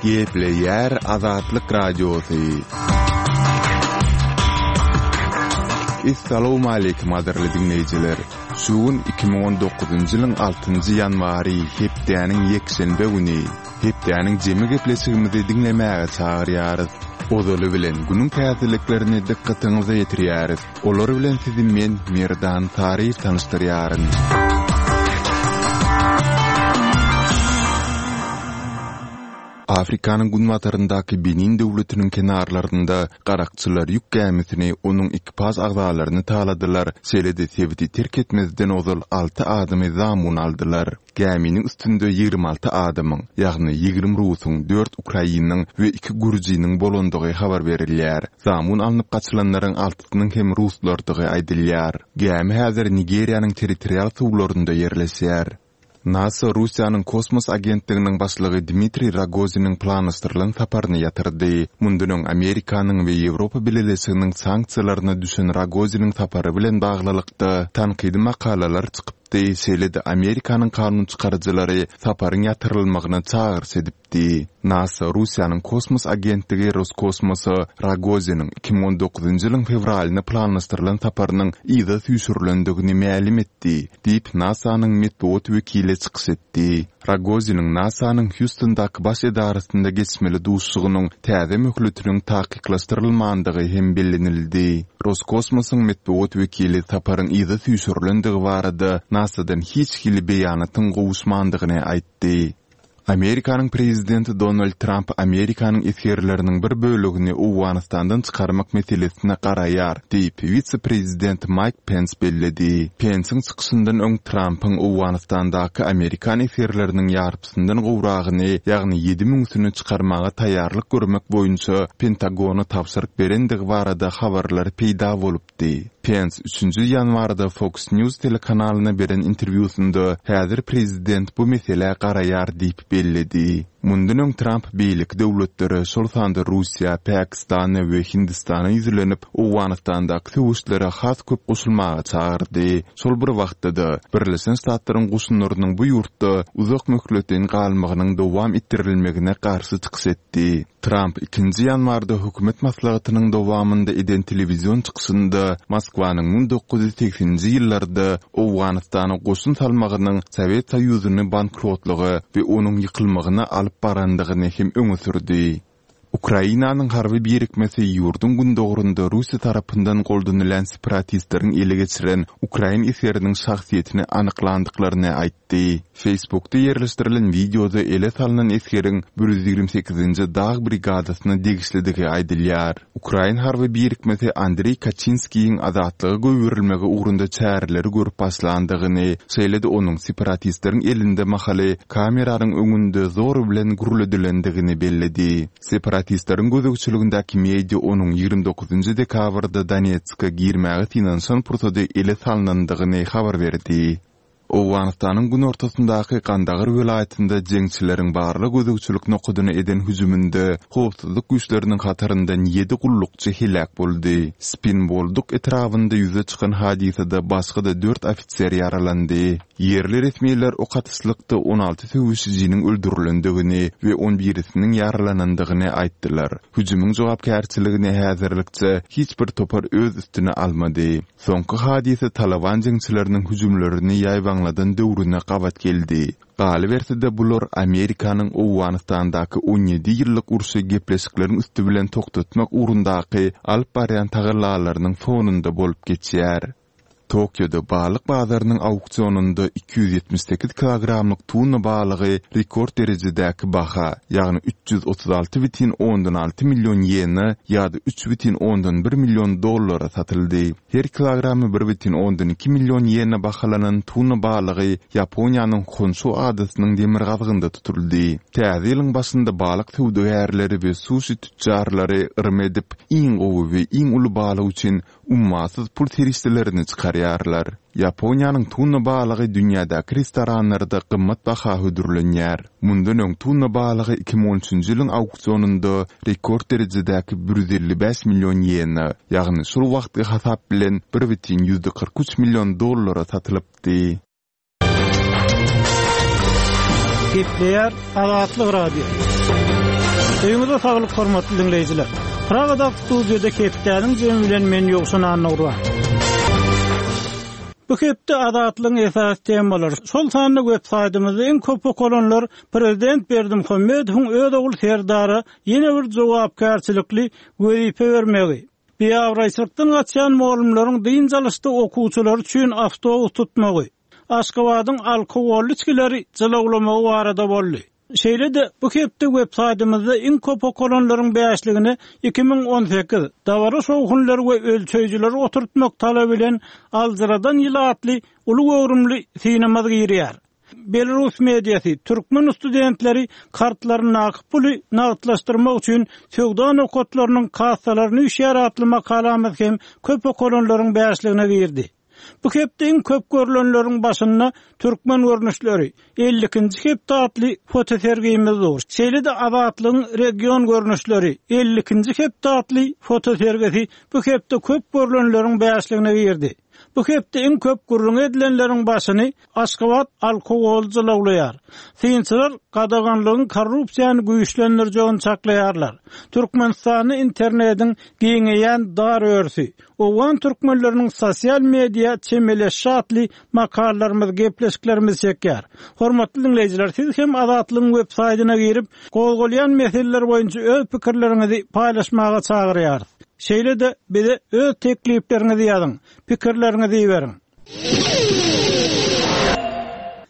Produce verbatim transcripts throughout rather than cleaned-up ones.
Gepleýär Azatlyk Radiosy. Essalawmaleýkim gadyrly diňleýjiler! Şu gün iki müň on dokuzynjy ýylyň altynjy ýanwary, hepdäniň ýekşenbe güni. Hepdäniň jemi gepleşigimizi diňlemäge çagyrýarys. Ozaly bilen günüň täzeliklerini dykgatyňyza ýetirýäris. Olar bilen sizi men, Merdan Saryýew tanyşdyrýaryn. Afrikanyň günbataryndaky Benin döwletiniň kenarlarynda garakçylar ýük gämisini, onuň ekipaž agzalaryny taladylar, şeýle-de sebiti terk etmezden ozal alty adamy zamun aldylar. Gäminiň üstünde ýigrimi alty adamyň, ýagny ýigrimi rusuň, dört ukrainiň we iki gürjiniň bolandygy habar berilýär. Zamun alnyp gaçylanlaryň altysynyň hem ruslardygy aýdylýar. Gämi häzir Nigeriýanyň territorial suwlarynda ýerleşýär. NASA Russiýanyň kosmos agentliginiň başlygy Dmitriý Rogoziniň planlaşdyrylan saparyny ýatyrdy. Mundan öň Amerikanyň we Ýewropa Bileleşiginiň sanksiýalaryna düşen Rogoziniň sapary bilen baglylykda tankydy makalalar çykypdy, şeýle-de Amerikanyň kanunçykaryjylary saparyň ýatyrylmagyna çagyryş edipdi. NASA Russiýanyň kosmos agentligi Roskosmosa Rogoziniň iki müň on dokuzynjy ýylyň fewralynda planlaşdyrylan saparynyň yza süýşürilendigini mälim etdi, diýip, NASA-nyň metbugat wekili çykyş etdi. Rogoziniň NASA-nyň Hýustondaky baş edarasynda geçmeli duşuşygynyň täze möhletiniň takyklaşdyrylmandygy hem bellenildi. Roskosmosyň metbugat wekili saparyň yza süýşürilendigi barada NASA-dan hiç hili beýanatyň gowuşmandygyny aýtdy. Amerikanyň prezidenti Donald Tramp Amerikanyň esgerleriniň bir bölegini Owganystandan çykarmak meselesine garaýar, diýip, wise-prezident Maýk Pens belledi. Pensiň çykyşyndan öň Trampyň Owganystandaky amerikan esgerleriniň ýarpysyndan gowragyny, ýagny ýedi müňüsini çykarmaga taýýarlyk görmek boýunça Pentagona tabşyryk berendigi barada habarlar peýda bolupdy. Pens üçünji ýanwarda Fox News telekanalyna beren interwýusynda häzir prezident bu meselä garaýar diýip belledi. Mundan öň Tramp beýleki döwletlere, şol sanda Russiýa, Pakistana we Hindistana ýüzlenip, Owganystandaky söweşlere has köp goşulmaga çagyrdy. Şol bir wagtda-da, Birleşen Ştatlaryň goşunlarynyň bu ýurtda uzak möhletleýin galmagynyň dowam etdirilmegine garşy çykyş etdi. Tramp ikinji ýanwarda hökümet maslahatynyň dowamynda eden telewizion çykyşynda Moskwanyň müň dokuz ýüz segseninji ýyllarda Owganystana goşun salmagynyň Sowet Soýuzyny bankrotlyga we onuň ýykylmagyna alyp barandygyny hem öňe sürdi. Ukrainanyň harby birikmesi ýurduň gündogarynda Russiýa tarapyndan goldanylýan separatistleriň ele geçiren ukrain esgeriniň şahsyýetini anyklandyklaryny aýtdy. Aýtdy. Facebookda ýerleşdirilen wideoda ele salnan esgeriň bir ýüz ýigrimi sekizinji dag brigadasyna degişlidigi aýdylýar. Ukrain harby birikmesi Andreý Kaçinskiýiň azatlyga goýberilmegi ugrunda çäreleri görüp başlandygyny, şeýle-de onuň separatistleriň elinde mahaly kameranyň öňünde zor bilen gürledilendigini belledi. Separatistleriň gözegçiligindäki media onuň ýigrimi dokuzynjy dekabrda Donetske girmäge synanyşan pursady ele salnandygyny habar berdi. Owganystanyň günortasyndaky Gandagar welaýatynda jeňçileriň barlag-gözegçilik nokadyna eden hüjüminde howpsuzlyk güýçleriniň hataryndan ýedi gullukçy heläk boldy. Spin Bolduk etrabynda ýüze çykan hadysada başga-da dört ofiser ýaralandy. Ýerli resmiler ok atyşlykda on alty söweşijiniň öldürilendigini we on birisiniň ýaralanandygyny aýtdylar. Hüjümiň jogapkärçiligini häzirlikçe hiç bir topar öz üstüne almady. Soňky hadysa Talaban jeňçileriniň hüjümlerini ýaýbaňladan döwrüne gabat geldi. Galyberse-de bular Amerikanyň Owganystandaky on ýedi ýyllyk urşy gepleşikleriň üsti bilen togtatmak ugrundaky alyp barýan tagallalarynyň fonunda bolup geçýär. Tokioda balyk bazarynyň auksionynda iki ýüz ýetmiş sekiz kilogramlyk tuna balygy rekord derejedäki baha, ýagny üç ýüz otuz alty bütin ondan alty million ýena ýa-da üç bütin ondan bir million dollara satyldy. Her kilogramy bir bütin ondan iki million ýena bahalanan tuna balygy Ýaponiýanyň Honşu adasynyň demirgazygynda tutuldy. Täze ýylyň başynda balyk söwdagärleri we suşi tütjarlary yrym edip, iň gowy we iň uly balyk üçin ummasyz pul serişdelerini çykarýarlar. Ýaponiýanyň tuna balygy dünýädäki restoranlarda gymmat baha hödürlenýär. Mundan öň tuna balygy iki müň on üçünji ýylyň auksionynda rekord derejedäki bir ýüz elli bäş million ýena, ýagny şol wagtky hasap bilen bir bütin ýüzde kyrk üç million dollara satylypdy. Gepleýär Azatlyk Radiosy. Öýüňize saglyk hormatly diňleýjiler. Pragadaky studiýada hepdäniň jemi bilen men Ýowşan Annagurban. Bu hepde Azatlygyň esasy temalary, şol sanda web saýtymyzda iň köp okalanlar Prezident Berdimuhamedowyň öz ogly Serdara ýene bir jogapkärçilikli wezipe bermegi, biabraýçylykdan gaçýan mugallymlaryň dynç alyşda okuwçylary üçin awtobus tutmagy, Aşgabadyň alkogolly içgileri jylawlamagy barada boldy. Şeýle-de bu hepde web saýtymyzda iň köp okalanlaryň bäşligine iki müň on sekiz, dabara şowhunlary we ölçeýjileri oturtmak talaby bilen Aljyradan ýyl atly uly göwrümli synymyz girýär. Belarus mediasy türkmen studentleri kartlaryndaky puly nagtlaşdyrmak üçin söwda nokatlarynyň kassalaryny üýşýär atly makalamyz hem köp okalanlaryň bäşligine girdi. Bu hepde iň köp görülenleriň başynda türkmen görnüşleri elli ikinji hepde atly fotosergimiz dur. Şeýle-de Azatlygyň region görnüşleri elli ikinji hepde atly fotosergisi bu hepde köp görülenleriň bäşligine girdi. Bu hepde iň köp gürrüň edilenleriň başyny Aşgabat alkogol jylawlaýar. Synçylar gadaganlygyň korrupsiýany güýçlendirjegini çaklaýarlar. Türkmenistanda internetiň giňeýän dar örüsi, Owgan türkmenleriniň sosial media çemeleşişi atly makalalarymyz, gepleşiklerimiz çekýär. Hormatly diňleýjiler, siz hem Azatlygyň web saýtyna girip, gozgalýan meseleler boýunça öz pikirleriňizi paýlaşmaga çagyrýarys. Şeýle-de bize öz teklipleriňizi ýazyň, pikirleriňizi iberiň.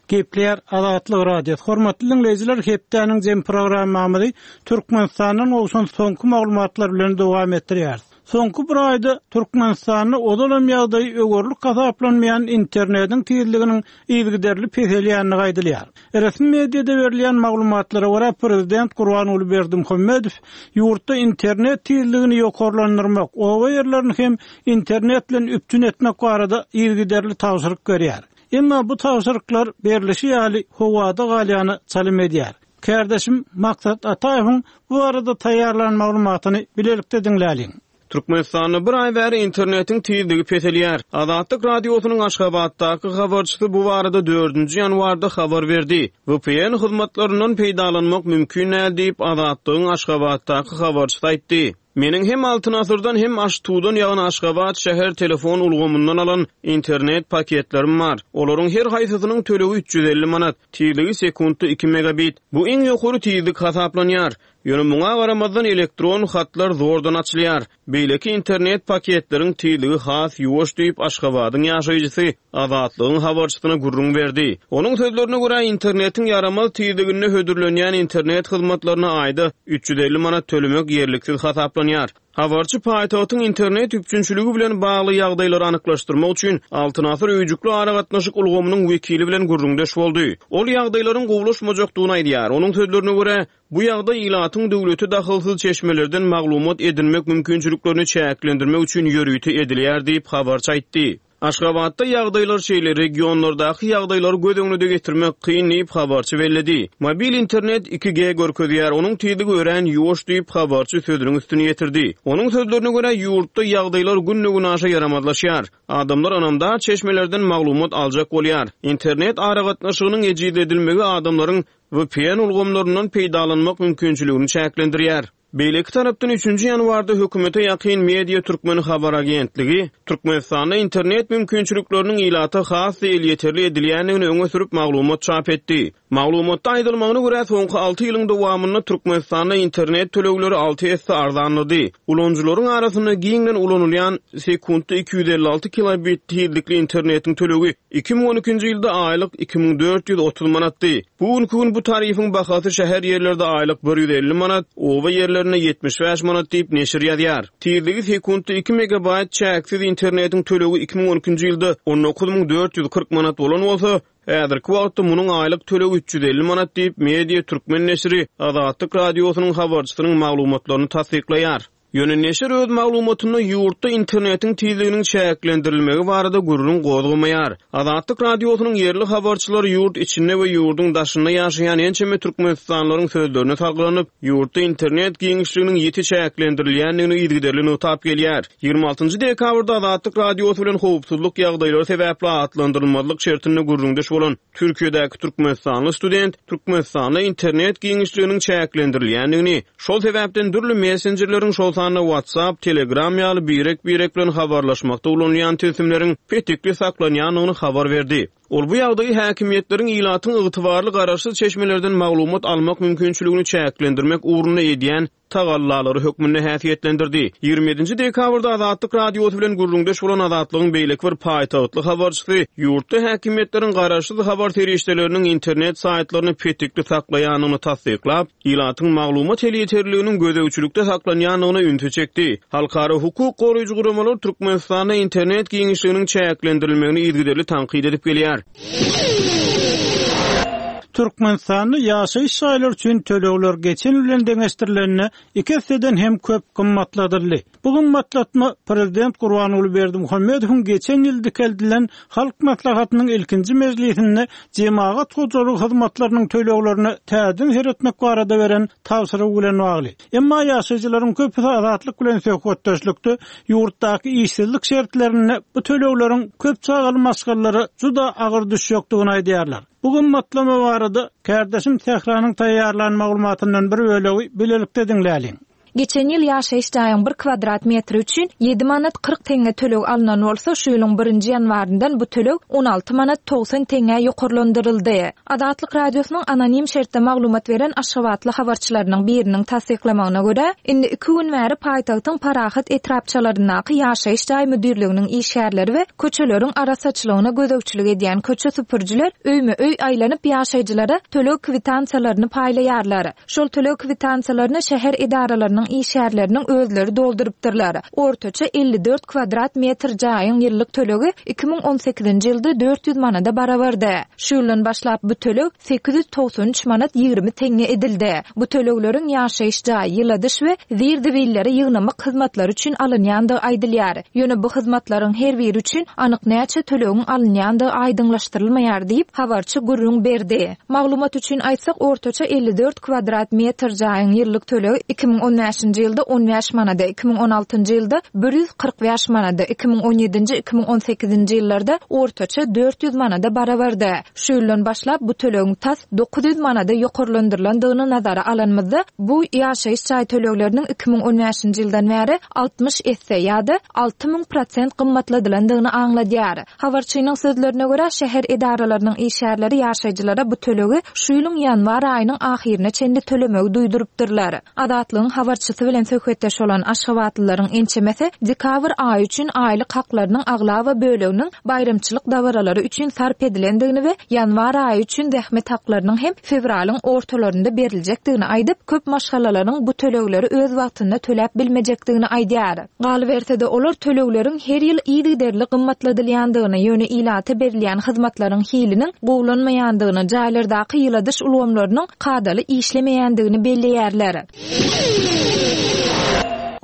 Gepleýär Azatlyk Radiosy. Hormatly diňleýjiler, hepdäniň jem programmamyzy Türkmenistandan gowşan soňky maglumatlar bilen dowam etdirýäris. Soňky bir aýda Türkmenistanda ozal hem ýagdaýy öwürlik hasaplanmaýan internetiň tizliginiň yzygiderli peselýändigi aýdylýar. Resmi mediada berilýän maglumatlara görä prezident Gurbanguly Berdimuhamedow ýurtda internet tizligini ýokarlandyrmak, oba ýerlerini hem internet bilen üpjün etmek barada yzygiderli tabşyryk berýär. Emma bu tabşyryklar berilişi ýaly howada galýany çalym edýär. Kardeşim Maksat Ataýewiň bu arada taýýarlan maglumatyny bilelikde diňläliň. Türkmenistanda bir aý bäri internetiň tizligi peselýär. Azatlyk radiosynyň Aşgabatdaky habarçysy bu barada dördünji ýanwarda habar berdi. V P N hyzmatlaryndan peýdalanmak mümkin däl diýip Azatlygyň Aşgabatdaky habarçysy aýtdy. Meniň hem Altyn Asyrdan hem Aştudan ýagny Aşgabat şäher telefon ulgamyndan alan internet paketlerim bar. Olaryň her haýsysynyň tölegi üç ýüz elli manat, tizligi sekuntda iki megabit. Bu iň ýokary tizlik hasaplanýar. Ýöne muňa garamazdan elektron hatlar zordan açylýar. Beýleki internet paketleriň tizligi has ýuwaş diýip Aşgabadyň ýaşaýjysy Azatlygyň habarçysyna gürrüň berdi. Onuň sözlerine görä internetiň ýaramaz tizliginde hödürlenýän internet hyzmatlaryna aýda üç ýüz elli manat tölemek ýerliksiz hasaplanýar. Habarçy paýtagtyň internet üpjünçiligi bilen bagly ýagdaýlary anyklaşdyrmak üçin Altyn Asyr öýjükli aragatnaşyk ulgamynyň wekili bilen gürrüňdeş boldy. Ol ýagdaýlaryň gowulaşmajakdygyny aýdýar. Onuň sözlerine görä, bu ýagdaý ilatyň döwleti dahylsyz çeşmelerden maglumat edinmek mümkinçiliklerini çäklendirmek üçin ýörite edilýär diýip habarçy aýtdy. Aşgabatda ýagdaýlar şeýle regionlardaky ýagdaýlary göz öňüne getirmek kyn diýip habarçy belledi. Mobil internet iki G görkezýär, onuň tizligi örän ýuwaş diýip habarçy sözüniň üstüni ýetirdi. Onuň sözlerine görä ýurtda ýagdaýlar günde-gün aşa ýaramazlaşýar. Adamlar ynamdar çeşmelerden maglumat aljak bolýar. Internet aragatnaşygynyň ejizledilmegi adamlaryň V P N ulgamlaryndan peýdalanmak mümkinçiligini çäklendirýär. Beýleki tarapdan üçünji ýanwarda hökümete ýakyn media Türkmen habar agentligi Türkmenistanda internet mümkinçilikleriniň ilata has elýeterli edilýändigini öňe sürüp maglumat çap etdi. Maglumatda aýdylmagyna görä soňky alty ýylyň dowamynda Türkmenistanda internet tölegleri alty esse arzanlady. Ulanyjylaryň arasynda giňden ulanylýan sekuntda iki ýüz elli alty kilobit tizlikli internetiň tölegi iki müň on ikinji ýylda aýlyk iki müň dört ýüz otuz manatdy. Bu günki gün bu tarifiň bahasy şäher ýerlerde aýlyk bir ýüz elli manat, oba ýerlerinde ýetmiş bäş manat diýip neşir ýazýar. Tizligi sekuntda iki megabayt çäksiz internetiň tölegi iki müň on ikinji ýylda on dokuz müň dört ýüz kyrk manat bolan bolsa, häzirki wagtda munuň aýlyk tölegi üç ýüz elli manat diýip media Türkmen neşiri Azatlyk radiosynyň habarçysynyň maglumatlaryny tassyklaýar. Ýöne neşir öz maglumatynda ýurtda internetiň tizliginiň çäklendirilmegi barada gürrüň gozgamaýar. Azatlyk Radiosynyň ýerli habarçylary ýurt içinde we ýurduň daşynda ýaşaýan ençeme türkmenistanlylaryň sözlerine salgylanyp, ýurtda internet giňişliginiň ýiti çäklendirilýändigini yzygiderli nygtap gelýär. Ýigrimi altynjy dekabrda Azatlyk Radiosy bilen howpsuzlyk ýagdaýlary sebäpli atlandyrylmazlyk şertinde gürrüňdeş bolan Türkiýedäki türkmenistanly student Türkmenistanda internet giňişliginiň çäklendirilýändigini, şol sebäpden dürli messenjerleriň, şol sanda WhatsApp, Telegram ýaly birek-birek bilen habarlaşmakda ulanylýan tilsimleriň petikli saklanýandygyny habar berdi. Ol bu ýagdaýy häkimiýetleriň ilatyň ygtybarly garaşsyz çeşmelerden maglumat almak mümkinçiligini çäklendirmek ugrunda edýän tagallalary hökmünde häsiýetlendirdi. Ýigrimi ýedinji dekabrda Azatlyk Radiosy bilen gürrüňdeş bolan Azatlygyň beýleki bir paýtagtly habarçysy ýurtda häkimiýetleriň garaşsyz habar serişdeleriniň internet saýtlaryny petikli saklaýandygyny tassyklap, ilatyň maglumat elýeterliliginiň gözegçilikde saklanýandygyna ünsi çekdi. Halkara hukuk goraýjy guramalar Türkmenistanda internet giňişliginiň çäklendirilmegini yzygiderli tankyt edip gelýär. Türkmenistanda ýaşaýyş jaýlary üçin tölegler geçen ýyl bilen deňeşdirilende iki esseden hem köp gymmatladyldy. Bu gymmatlatma prezident Gurbanguly Berdimuhamedowyň geçen ýyl dikeldilen Halk Maslahatynyň ilkinji mejlisinde jemagat hojalygy hyzmatlarynyň töleglerine täzeden seretmek barada beren tabşyrygy bilen bagly. Emma ýaşaýjylaryň köpüsi Azatlyk bilen söhbetdeşlikde ýurtdaky işsizlik şertlerinde bu tölegleriň köp çagaly maşgalalara juda agyr düşjekdigini aýdýarlar. Bu gymmatlama barada kärdeşim Sähranyň taýýarlan maglumatyndan bir bölegi bilelikde diňläliň. Geçen ýyl ýaşaýyş jaýyň bir kwadrat metri üçin ýedi manat kyrk teňňe töleg alnan bolsa, şu ýylyň birinji ýanwaryndan bu töleg on alty manat togsan teňňä ýokarlandyryldy. Azatlyk Radiosynyň anonim şertde maglumat beren aşgabatly habarçylarynyň biriniň tassyklamagyna görä, indi iki gün bäri paýtagtyň Parahat etrapçalaryndaky ýaşaýyş jaý müdirliginiň işgärleri we köçeleriň arasaçylygyna gözegçilik edýän köçe süpürjiler öýme-öý aýlanyp ýaşaýjylara töleg kwitansiýalaryny paýlaýarlar. Şol töleg kwitansiýalaryny şäher edaralarynyň işgärleriniň özleri doldurypdyrlar. Ortaça elli dört kwadrat metr jaýyň ýyllyk tölegi iki müň on sekizinji ýylda dört ýüz manada barabardy. Şu ýyldan başlap bu töleg sekiz ýüz togsan üç manat ýigrimi teňňe edildi. Bu tölegleriň ýaşaýyş jaý, ýyladyş we zir-zibilleri ýygnamak hyzmatlary üçin alynýandygy aýdylýar. Ýöne bu hyzmatlaryň her biri üçin anyk näçe tölegiň alynýandygy aýdyňlaşdyrylmaýar diýip, habarçy gürrüň berdi. Maglumat üçin aýtsak, ortaça elli dört kwadrat metr jaýyň ýyllyk tölegi iki müň on bäşinji ýylda on bäş manada, iki müň on altynjy ýylda bir ýüz kyrk bäş manada, iki müň on ýedinji, iki müň on sekizinji ýyllarda ortaça dört ýüz manada barabardy. Şu ýyldan başlap bu tölegiň tas dokuz ýüz manada ýokarlandyrylandygyny nazara alanymyzda, bu ýaşaýyş jaý tölegleriniň iki müň on bäşinji ýyldan bäri altmyş esse ýa-da alty müň prosent gymmatladylandygyny aňladýar. Habarçynyň sözlerine görä, şäher edaralarynyň işgärleri ýaşaýjylara bu tölegi şu ýylyň ýanwar aýynyň ahyryna çenli tölemegi duýdurypdyrlar. Azatlygyň habarçysy bilen söhbetdeş bolan aşgabatlylaryň ençemesi dekabr aýy üçin aýlyk haklarynyň aglaba böleginiň baýramçylyk dabaralary üçin sarp edilendigini we ýanwar aýy üçin zähmet haklarynyň hem fewralyň ortalarynda beriljekdigini aýdyp, köp maşgalalaryň bu tölegleri öz wagtynda töläp bilmejekdigini aýdýar. Galyberse-de olar tölegleriň her ýyl yzygiderli gymmatladylýandygyny, ýöne ilata berilýän hyzmatlaryň hiliniň gowulanmaýandygyny, jaýlardaky ýyladyş ulgamlarynyň kadaly işlemeýändigini belleýärler.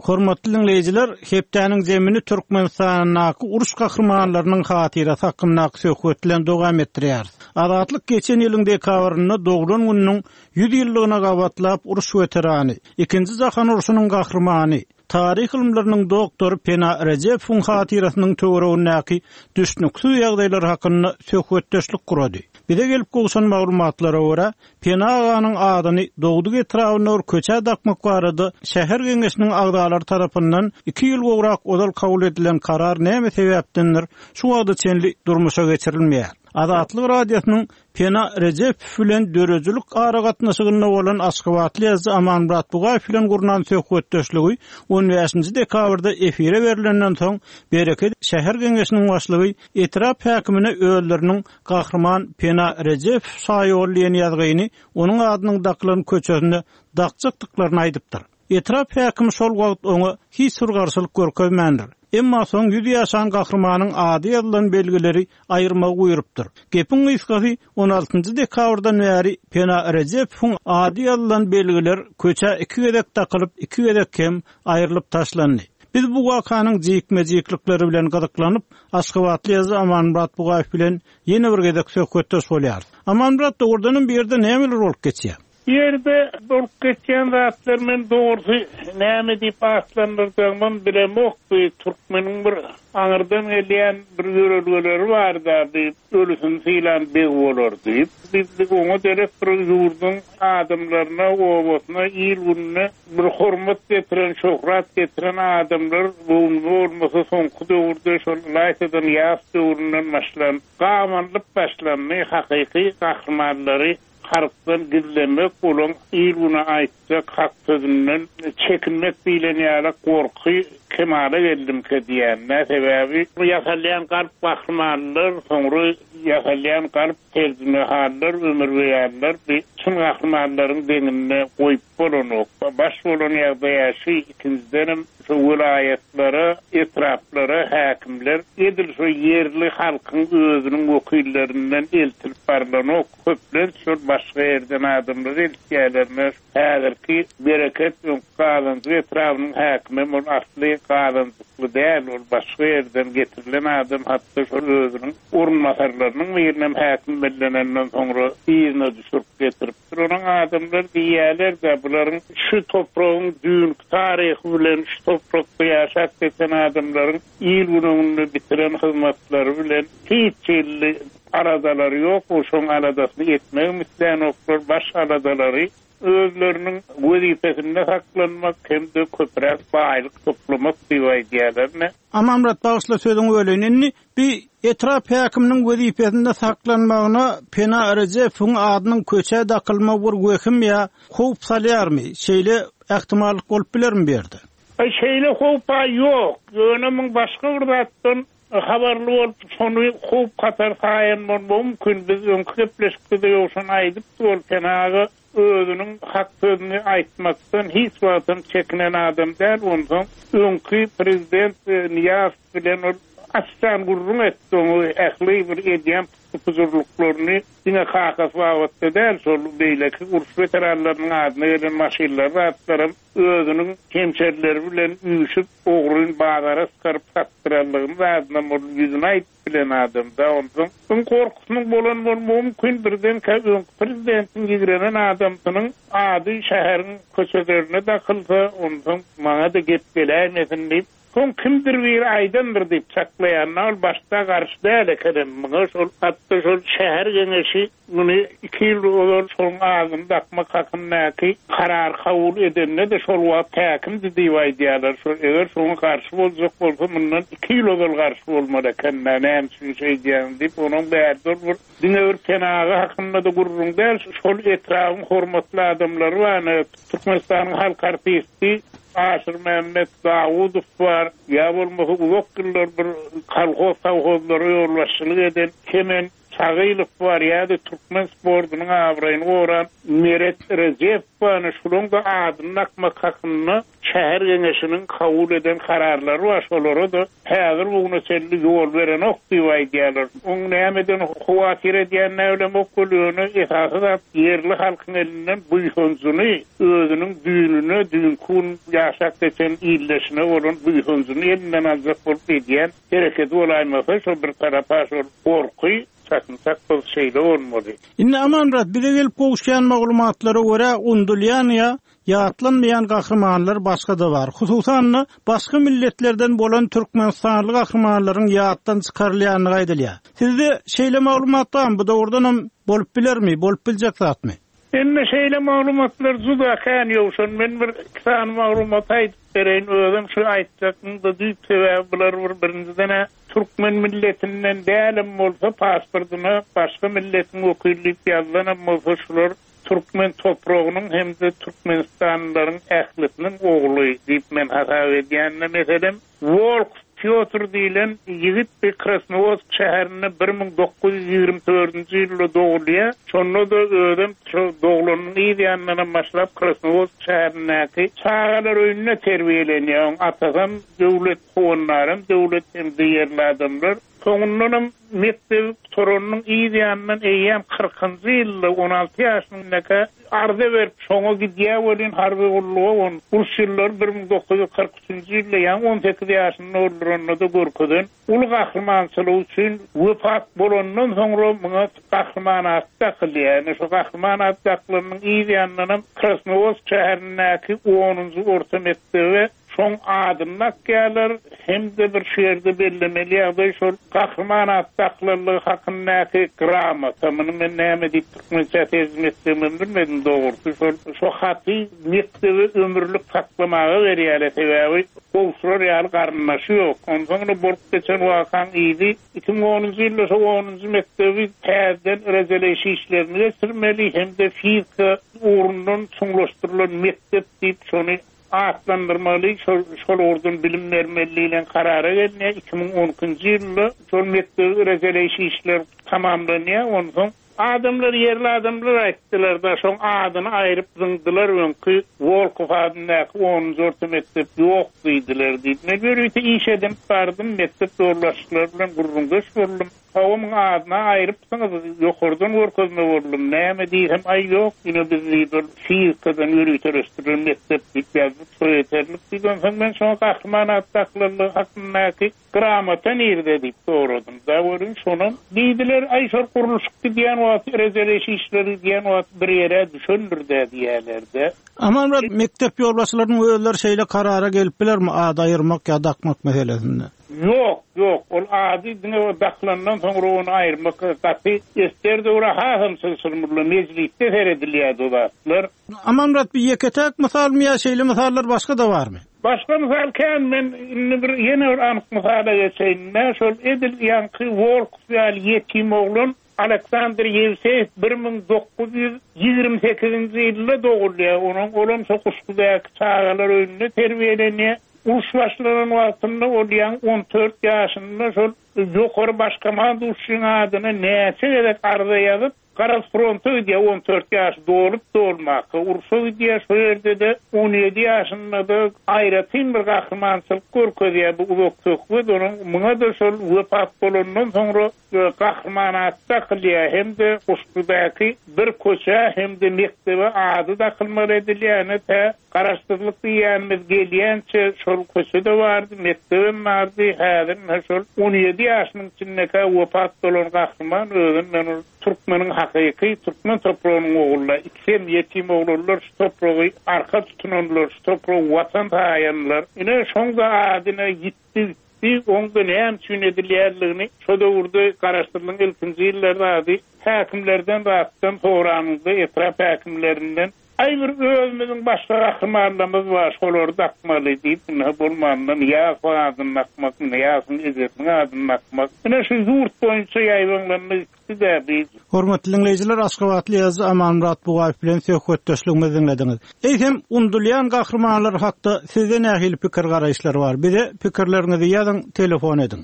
Hormatly dinleýjiler, hepdäniň zemini Türkmenistandaky uruş gahrymanlarynyň hatyrasy hakyndaky söhbet bilen dowam etdirýär. Azatlyk geçen ýylyň dekabrynda doglan gününiň ýüz ýyllygyna gabatlap uruş weterany, ikinji jahan urşunyň gahrymany, taryh ylymlarynyň doktory Pena Rejepowyň hatyrasynyň töweregindäki düşnüksiz ýagdaýlar hakynda söhbetdeşlik gurady. Bize gelip gowşan maglumatlara görä, Pena aganyň adyny dogduk etrabynda bir köçä dakmak barada şäher geňeşiniň agzalary tarapyndan iki ýyl gowrak ozal kabul edilen karar näme sebäpdendir, şu wagta çenli durmuşa geçirilmeýär. Azatlyk Radiosynyň Pena Rejepow bilen döredijilik aragatnaşygynda bolan Aşgabatly ýazyjy Amanmyrat Bugaýew bilen gurnan söhbetdeşligi on bäşinji dekabrda efire berilenden soň Bereket şäher geňeşiniň başlygy etrap häkimine özleriniň Gahryman Pena Rejepow şaýoly diýen ýazgyny onuň adynyň dakylan köçesinde dakjakdyklaryny aýdypdyr. Etrap häkimi şol wagt oňa hiç bir garşylyk görkezmändir. Emma soň ýüz ýaşan gahrymanyň ady ýazylan belgileri aýyrmagy buýrupdyr. Gepiň gysgasy on altynjy dekabrdan bäri Pena Rejepowyň ady ýazylan belgiler köçä iki gezek dakylyp, iki gezek hem aýrylyp taşlandy. Biz bu wakanyň jikme-jiklikleri bilen gyzyklanyp, Aşgabatly ýazyjy Amanmyrat Bugaýew bilen ýene bir gezek söhbetdeş bolýarys. Amanmyrat, dogrudanam bu ýerde nämeler bolup geçýär? Bu ýerde bolup geçýän zatlar men dogrusy näme diýip atlandyrjagymam bilemok. Bu türkmeniň bir aňyrdan gelýän bir ýörelgeleri bar-da, bir ölüsini sylan beg bolar diýip. Biz oňa derek bir ýurduň adamlaryna, obasyna, il gününe bir hormat getiren, şöhrat getiren adamlar göwnüme bolmasa soňky döwürde şol ylaýtadan ýas döwründen başlan, gabanlyp başlandy, hakyky gahrymanlary halkdan gizlemek, olaň il güne aýtjak hak sözünden çekinmek diýlen ýaly gorky kemala geldimkä diýende, sebäbi bu ýasalýan galp gahrymanlar, soňra ýasalýan galp terjimehallar, ömürbeýanlar bir çyn gahrymanlaryň deňinde goýup bolanok. Baş bolan ýagdaý şu, ikinjidenem şu welaýatlara, etraplara häkimler edil şu ýerli halkyň özüniň wekillerinden eltilip barlanok. Köplenç şol başga ýerden adamlar eltýärlerine. Häzirki Bereket öňki Gazanjyk etrabynyň häkimi ol asly Gazanjykly däl, ol başga ýerden getirilen adam, hatda şol özüniň orunbasarlarynyň birinem häkim bellenenden soňra yzyna düşürip getiripdir. Onuň adamlar diýýärler-de, bularyň şu topragyň düýnki taryhy bilen şu toprakda ýaşap geçen adamlaryň il günüňde bitiren hyzmatlary bilen hiç hili aladalary ýok, şoň aladasyny etmegi islänoklar, baş aladalary özleriniň wezipesinde saklanmak hem-de köpräk baýlyk toplamak diýip aýdýarlar. Amanmyrat, bagyşla sözüňi böleýin. Indi bir etrap häkiminiň wezipesinde saklanmagyna Pena Rejepowyň adynyň köçä dakylmagy bir wehim ýa howp salýarmy? Şeýle ähtimallyk bolup bilermi bu ýerde? Aý, şeýle howp-a ýok. Ýöne muň başga bir zatdan habarly bolup, şony howp hatar saýan bolmagy mümkin. Biz öňki gepleşikde-de ýowşan aýdypdy, ol Pena aga özüniň hak sözüni aýtmakdan hiç wagtam çekinen adam däl. Onsoň öňki prezident Niýazow bilen ol açdan gürrüň etdi, oňa ähli bir edýän pujurlyklaryny diňe kakasy babatda däl, şol beýleki uruş weteranlarynyň adyna gelen maşynlar zatlaram özüniň hemşerileri bilen üýşüp ogryn bazara çykaryp satdyranlygyny zadyna ol ýüzüni aýdyp bilen adam da. Onsoň öň korkusynyň bolan bolmagy mümkin, birdenkä öňki prezidentiň ýigrenen adamsynyň ady şäheriň köçelerine dakylsa, onsoň maňa-da gep geläýmesin diýip, soň kimdir biri aýdandyr diýip çaklaýan, ol başda garşy däl ekenem muňa, şol hatda şol şäher geňeşi muny iki ýyl ozal şoň adyny dakmak hakyndaky karar kabul edende-de şol wagt häkimdi diýip aýdýarlar. Şol eger şoňa garşy boljak bolsa, mundan iki ýyl ozal garşy bolmaly eken, näme üçin şeý diýýän diýip, onuň bärde bir diňe bir Pena aga hakynda-da gürrüň däl, şol etrabyň hormatly adamlary bar. Türkmenistanyň halk artisti Aşyrmämmet Dawudow bar, ýa bolmasa uzak ýyllar bir kolhoz sowhozlara ýolbaşçylyk eden Kemen Çagylow bar, ýa-da türkmen sportunyň abraýyny goran Meret Rejep bar. Şularyň da adyny dakmak hakynda şäher geňeşiniň kabul eden kararlary bar. Şolara da häzir bugüne çenli ýol berenok diýip aýdýarlar. Oň nämeden howatyr edýänine bilemok, ýöne esasy zat ýerli halkyň elinden buýsanjyny, özüniň düýnüne, düýnki gün ýaşap geçen illeşine bolan buýsanjyny elinden aljak bolup edýän hereketi bolaýmasa, şol bir tarapa şol gorky çakynsak bu şeýle bolmaly. Indi Amanmyrat, bize gelip gowuşýan maglumatlara görä undulýan ýa ýatlanmaýan gahrymanlar başga da bar. Hususan-da başga milletlerden bolan Türkmenistanly gahrymanlaryň ýatdan çykarylýandygy aýdylýar. Sizde şeýle maglumat barmy? Bu dogrudanam bolup bilermi? Bolup biljek zatmy? Indi şeýle maglumatlar juda kän ýowşan. Men bir iki sany maglumat aýdyp bereýin. Özüm şu aýtjakym da düýp sebäbi bular bir birinjiden Türkmen milletinden dälem bolsa pasportuna başga milletiň wekillik ýazylanam bolsa şular Türkmen topragynyň hem-de Türkmenistanlylaryň ählisiniň ogly diýip men hasap edýän meselem Wolk Pýotr diýlen ýigit bir Krasnowodsk şäherinde bir müň dokuz ýüz ýigrimi dördünji ýylda dogulýar. Şonda-da özem şo doglanyň yz ýanyndan başlap Krasnowodsk şäherindäki çagalar öýünde terbiýelenýär. Oň atasam döwlet howandaram, döwlet hem ýerli adamlar. Soňundanam mekdebi gutaranyň yz ýanyndan eýýäm kyrkynjy ýylda on alty ýaşyndaka arza berip şoňa gidýär welin harby gulluga on uruş ýyllary bir müň dokuz ýüz kyrk üçünji ýylda ýaňy on sekiz ýaşynda olduranda-da görkezen uly gahrymançylygy üçin wepat bolandan soňra muňa gahryman ady dakylýar. Ýani şu gahryman ady dakylanyň yz ýanyndanam Krasnowodsk şäherindäki onunjy orta mekdebe şoň adyny dakýarlar, hem-de bir şu ýerde bellemeli ýagdaý şol gahryman ady dakylanlygy hakyndaky gramota. Muny men näme diýip türkmençe terjime etdigimi bilmedim dogrusy. Şol şo haty mekdebe ömürlik saklamaga berýärler, sebäbi gowşurar ýaly garyndaşy ýok. Onsoň bolup geçen wakaň yzy iki müň onunjy ýylda şo onunjy mekdebi täzeden rejeleýiş işlerini geçirmeli, hem-de fizika ugrundan çuňlaşdyrylan mekdep diýip şony atlandyrmaly, şol, şol ugurdan bilim bermeli diýlen karara gelinýär. Iki müň on ikinji ýylda şol mekdebi rejeleýiş işler tamamlanýar. Onsoň adamlar, ýerli adamlar aýtdylar da, şoň adyny aýryp zyňdylar, öňki Wolkow adyndaky onunjy orta mekdep ýok diýdiler diýip. Men ýörite iş edinip bardym, mekdep ýolbaşçylary bilen gürrüňdeş boldum. Kawamyň adyna aýrypsyňyz, ýokardan görkezme boldum. Näme diýsem, aý ýok, ýene biz diýip, fizikadan ýöriteleşdirilen mekdep diýip ýazdyk, şo ýeterlik diýip. Onsoň men şoňa gahryman ady dakylanlygy hakyndaky gramota nirde diýip soradym. Da görün şonam diýdiler, aý şol gurluşyk gidýän wagty, rejeleýiş işleri gidýän wagty bir ýere düşendir-de diýerler-de. Amanmyrat, mekdep ýolbaşçylarynyň özleri şeýle karara gelip bilermi ady aýyrmak ýa dakmak meselesinde? Ýok, ýok. Ol ady diňe o dakylandan soňra ony aýyrmak gaty ester döwre hasam çylşyrymly mejlisde seredilýär o zatlar. Amanmyrat, bir ýeke-täk mysalmy ýa şeýle mysallar başga-da barmy? Başga mysal kän, men indi bir ýene bir anyk mysala geçeýin. Men şol edil ýaňky Wolkow ýaly ýetim oglan Aleksandr Ýewseýew bir müň dokuz ýüz ýigrimi sekizinji ýylda dogulýar. Onuň olam şo Guşgudaky çagalar öýünde terbiýelenýär. Uruş başlanan wagtynda ol ýaňy on dört ýaşynda şol ýokary başkomanduşyň adyna näçe gezek arza ýazyp, garaz fronta gidýär, on dört ýaş dolup dolmaka urşa gidýär. Şo ýerde-de on ýedi ýaşynda-da aýratyn bir gahrymançylyk görkezýär bu uzak söhbet. Onuň muňa-da şol wepat bolandan soňra gahryman ady dakylýar, hem-de Guşgudaky bir köçe hem-de mekdebe ady dakylmaly edilýär. Ýöne tä garaşsyzlyk diýýänimiz gelýänçe şol köçede bardy, mekdebem bardy. Häzir ine şol on ýedi ýaşynyň içindeki wepat bolan gahryman özüm men ol türkmeniň hakyky türkmen topragynyň ogullar, ikisem ýetim oglanlar, şu topragy arka tutunanlar, şu topragy watan saýanlar. Ine şoň-da adyna ýitdi gitdi, oň-da näme üçin edilýänligini şo döwürde garaşsyzlygyň ilkinji ýyllarda ady häkimlerden zatdan soranynda etrap häkimlerinden aý bir özümüziň başga gahrymanlarymyz bar, şolary dakmaly diýip, ine bolmandan Nyýazow adyny dakmak, Nyýazowyň ejesiniň adyny dakmak. Ine şu ýurt boýunça ýaýbaňlandy gitdi-de bi. Hormatly dinleýjiler, Aşgabatly ýazyjy Amanmyrat Bugaýew bilen söhbetdeşligimizi dinlediňiz. Eýsem, undulýan gahrymanlar hakda sizde nähili pikir garaýyşlar bar? Bize pikirleriňizi ýazyň, telefon ediň.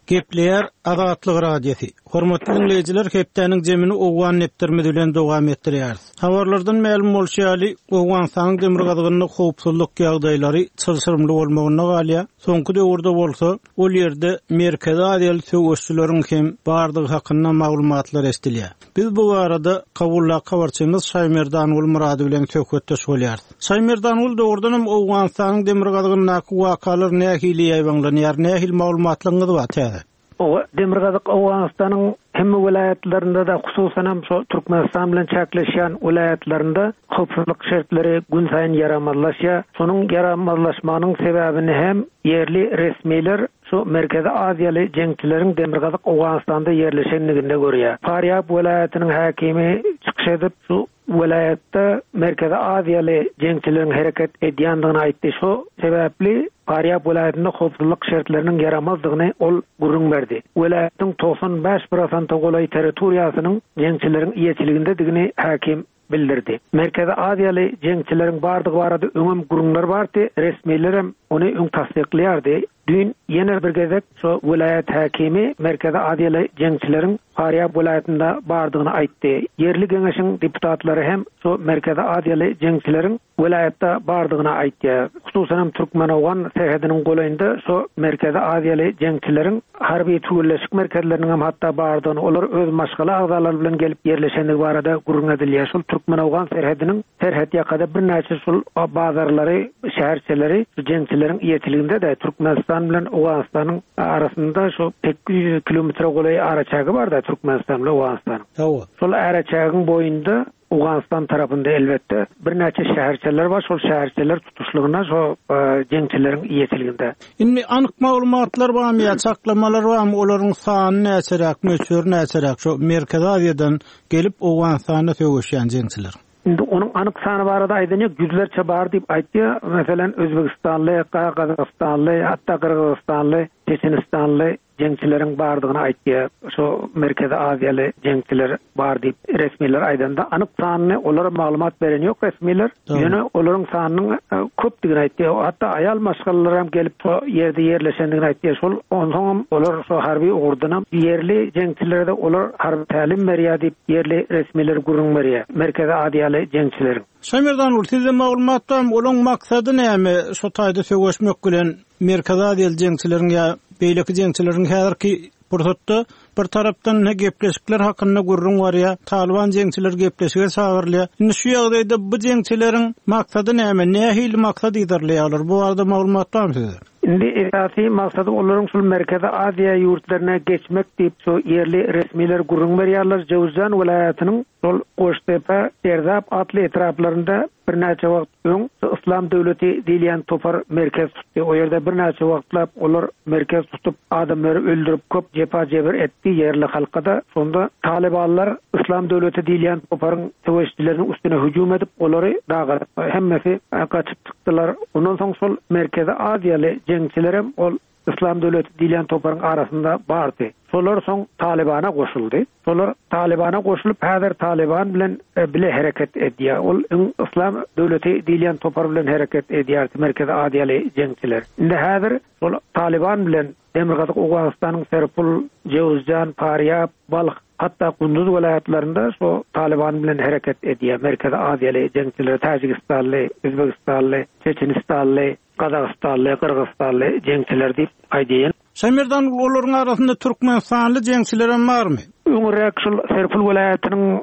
Gepleýär Azatlyk Radiosy. Hormatly dinleýjiler, hepdäniň jemini Owgan depderimiz bilen dowam etdirýäris. Habarlardan mälim bolşy ýaly, Owganystanyň demirgazygynda howpsuzlyk ýagdaýlary çylşyrymly bolmagyna galýar. Soňky döwürde bolsa, ol ýerde Merkezi Aziýaly söweşçileriň hem bardygy hakynda maglumatlar eşidilýär. Biz bu barada Kabuldaky habarçymyz Şaýmerdanguly Murady bilen söhbetdeş bolýarys. Şaýmerdanguly, dogrudan hem Owganystanyň demirgazygyndaky wakalar nähili ýaýbaňlanýar, nähili maglumatlaryňyz bar täze? O demirgazyk Owganystanyň hemme welaýatlarynda da, hususan hem şo Türkmenistan bilen çäkleşýän welaýatlarynda howpsuzlyk şertleri gün saýyn ýaramazlaşýar. Şonuň ýaramazlaşmagynyň sebäbini hem ýerli resmiler şu Merkezi Aziýaly jeňçileriň demirgazyk Owganystanda ýerleşenliginde görýär. Farýab welaýatynyň häkimi çykyş edip, şu welaýatda Merkezi Aziýaly jeňçileriň hereket edýändigini aýtdy. Şu sebäpli Farýab welaýatynda howpsuzlyk şertleriniň ýaramazdygyny ol gürrüň berdi. Welaýatyň togsan bäş prosente golaý territoriýasynyň jeňçileriň eýeçiligindedigini häkim bildirdi. Merkezi Aziýaly jeňçileriň bardygy barada öňem gürrüňler bardy, resmilerem ony öň tassyklaýardy. Düýn ýene bir gezek şo welaýat häkimi Merkezi Aziýaly jeňçileriň Farýab welaýatynda bardygyny aýtdy. Ýerli geňeşiň deputatlary hem şo Merkezi Aziýaly jeňçileriň welaýatda bardygyny aýtdy. Hususan hem Türkmen-Owgan serhediniň golaýynda şo Merkezi Aziýaly jeňçileriň harby türgenleşik merkezleriniň hem hatda bardygyny, olar öz maşgala agzalary bilen gelip ýerleşendigi barada gürrüň edilýär. Şol Türkmen-Owgan serhediniň serhet ýakada birnäçe şol bazarlary, şäherçeleri jeňçileriň ýetiliginde-de Türkmenistan bilen Owganystanyň arasynda şo sekiz ýüz kilometre golaý araçägi bar da Türkmenistan bilen Owganystanyň. Hawa. Şol araçägiň boýunda Owganystan tarapynda elbetde birnäçe şäherçeler bar. Şol şäherçeler tutuşlygyna şo, e, jeňçileriň ýetiliginde. Indi anyk maglumatlar barmy ýa çaklamalar barmy? Olaryň sany näçeräk, möçberi näçeräk? Şo Merkezi Aziýadan gelip Owganystanda söweşýän jeňçiler. Indi onuň anyk sany barada aýdan ýok, ýüzlerçe bar diýip aýtdy. Meselem, Özbegistanly, Gazagystanly, hatda Gyrgyzystanly, Çeçenistanly jeňçileriň bardygyny aýtdy. Şo Merkezi Aziýaly jeňçiler bar diýip resmiler aýdanda anyk sanyny olara maglumat beren ýok resmiler. Tamam. Ýöne olaryň sanynyň, e, köpdügini aýtdy. Hatda aýal maşgalalar hem gelip şo ýerde ýerleşendigini aýtdy. Şol onsoň olar şo harby ugurdan hem ýerli jeňçilere de olar harby tälim berýär diýip ýerli resmiler gürrüň berýär. Merkezi Aziýaly jeňçileriň. Şaýmerdan ul, sizde maglumat barmy? Olaryň maksady näme? Şo taýda söweşmek bilen Merkezi Aziýaly jeňçileriň ýa beýleki jeňçileriň häzirki pursatda bir tarapdan ne gepleşikler hakynda gürrüň barýar, Taliban jeňçiler gepleşige çagyrylýar. Indi şu ýagdaýda bu jeňçileriň maksady näme? Nähili maksat ýerleýärler? Bu barada maglumat barmy sizde? Indi esasy maksady olaryň şul Merkezi Aziýa ýurtlaryna geçmek diýip şu ýerli resmiler gürrüň berýärler. Jowzjan welaýatynyň şol Goştepe, Erzap atly etraplarynda birnäçe wagt öň Islam döwleti diýilýän topar merkez tutdy. O ýerde birnäçe wagtlap olar merkez tutup adamlary öldürip köp jepa jebir etdi ýerli halka-da. Şonda Talibanlar Islam döwleti diýilýän toparyň söweşçileriniň üstüne hüjüm edip olary dagadyp hemmesi gaçyp çykdylar. Ondan soň şol Merkezi Aziýaly jeňçilerem ol Islam döwleti diýilýän toparyň arasynda bardy. Şolar soň Talibana goşuldy. Şolar Talibana goşulyp häzir Taliban bilen, e, bile hereket edýär. Ol öň Islam döwleti diýilýän topar bilen hereket edýär Merkezi Aziýaly jeňçiler. Indi häzir şol Taliban bilen Demirgazyk Owganystanyň Serpul, Jowzjan, Farýab, Balh, hatda Gunduz welaýatlarynda şo Taliban bilen hereket edýär. Merkezi Aziýaly jeňçiler, Täjigistanly, Özbegistanly, Çeçenistanly, Gazagystanly, Gyrgyzystanly jeňçiler diýip aýdýan. Şaýmerdan, olaryň arasynda Türkmenistanly jeňçiler hem barmy? Öňräk şol Serpul welaýatynyň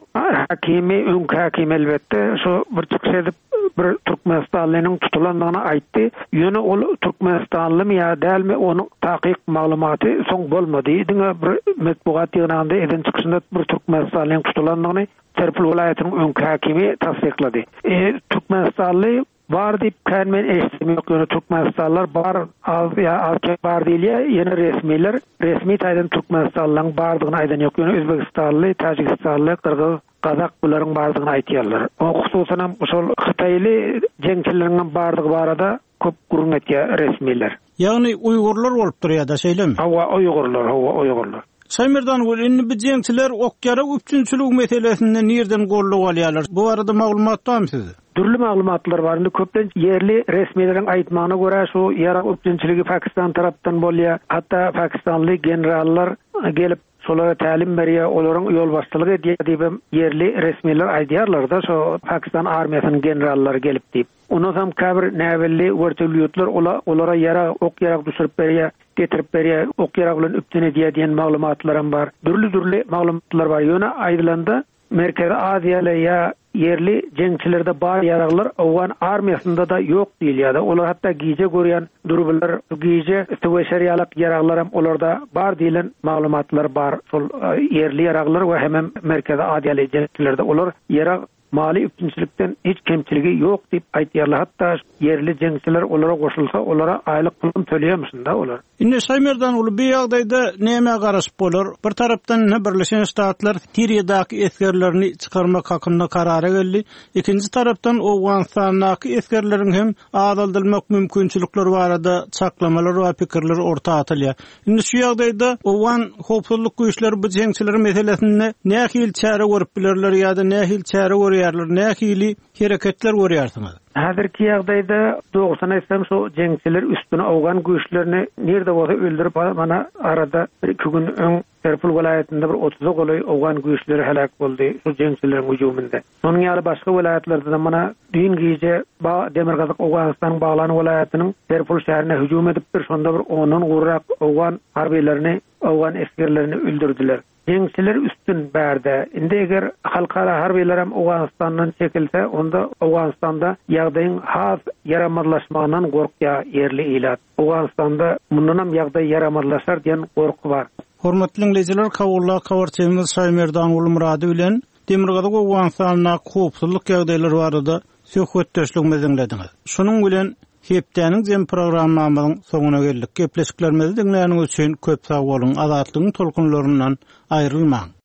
hakimi, öňki hakimi elbetde şo bir çykyş edip bir Türkmenistanlynyň tutulandygyny aýtdy. Ýöne ol Türkmenistanlymy ýa dälmi onuň takyk maglumaty soň bolmady. Diňe bir metbugat ýygnagynda eden çykyşynda bir Türkmenistanlynyň tutulandygyny Serpul welaýatynyň öňki hakimi tassyklady. E, Türkmenistanly bar diýip kän men eşitdim ýok, ýöne Türkmenistanlylar bar, az ýa az kem bar diýilýär. Ýöne resmiler resmi taýdan Türkmenistanlylaryň bardygyny aýdan ýok. Ýöne Özbegistanly, Täjigistanly, Gyrgyz, Gazak bularyň bardygyny aýtýarlar. O hususan hem şol Hytaýly jeňçileriň hem bardygy barada köp gürrüň etýär resmiler. Ýagny Uýgurlar bolup durýar da, şeýlemi? Hawa, Uýgurlar, hawa, Uýgurlar. Şaýmerdan, ol indi bu jeňçiler ok-ýarag üpjünçiligi meselesinde nirden gollup alýarlar? Bu barada maglumat barmy sizde? Dürli maglumatlar bar. Indi köplenç ýerli resmileriň aýtmagyna görä şu ýarag üpjünçiligi Pakistan tarapdan bolýar. Hatda Pakistanly generallar gelip şolara tälim berýär, olaryň ýolbaşçylyk edýär diýip hem ýerli resmiler aýdýarlar-da, şo Pakistan armiýasynyň generallary gelip diýip. Ondan soň käbir näbelli wertolýotlar ola-, olara ýarag, ok ýarag düşürip berýär, getirip berýär, ok ýarag bilen üpjün edýär diýen maglumatlar hem bar. Dürli-dürli maglumatlar bar. Ýöne aýdylanda Merkezi Aziýaly ýa ýerli jeňçilerde bar ýaraglar Owgan armiýasynda da ýok diýilýär. Olar hatda gije görýän durbular, gije söweşer ýalak ýaraglar hem olarda bar diýilen maglumatlar bar. Şol, e, ýerli ýaraglar we hemem Merkezi Aziýaly jeňçilerde olar ýarag mali üpjünçilikden hiç kemçiligi ýok diýip aýtýarlar. Hatda ýerli jeňçiler olara goşulsa, olara aýlyk pulun töleýärmişin-de olar. Indi Şaýmerdan uly bir ýagdaýda näme garaşyp bolar? Bir tarapdan ine Birleşen Ştatlar Siriýadaky esgerlerini çykarmak hakynda karara geldi. Ikinji tarapdan Owganystandaky esgerleriň hem azaldylmak mümkinçilikleri barada çaklamalar we pikirler orta atylýar. Indi şu ýagdaýda Owgan howpsuzlyk güýçleri bu jeňçiler meselesinde nähili çäre görüp bilerler ýa-da nähili çäre görýärler? görýärler, nähili hereketler görýärsiňiz? Häzirki ýagdaýda dogrusyny aýtsam şu jeňçiler üstüne owgan güýçlerini nirde bolsa öldürip mana arada bir iki gün öň Serpul welaýatynda bir otuza golaý owgan güýçleri heläk boldy şu jeňçileriň hüjüminde. Şonuň ýaly başga welaýatlarda da mana düýn gije ba Demirgazyk Owganystanyň Baglan welaýatynyň Serpul şäherine hüjüm edipdir. Şonda bir ondan gowrak owgan harbylaryny, owgan esgerlerini öldürdüler. Jeňçiler üstün bärde. Indi eger halkara harbylar hem Owganistandan çekilse, onda Owganistanda ýagdaýyň has ýaramazlaşmagyndan gorkýar ýerli ilat. Owganistanda mundan hem ýagdaý ýaramazlaşar diýen gorky bar. Hormatly dinleýjiler, Kabulda habarçymyz Şaýmerdan Gulmurady bilen Demirgazyk Owganistanda howpsuzlyk ýagdaýlary barada söhbetdeşligimizi diňlediňiz. Şunuň bilen hepdäniň jem programmamyzyň soňuna geldik. Gepleşiklerimizi diňläniňiz üçin köp sag boluň. Azatlygyň tolkunlaryndan aýrylmaň.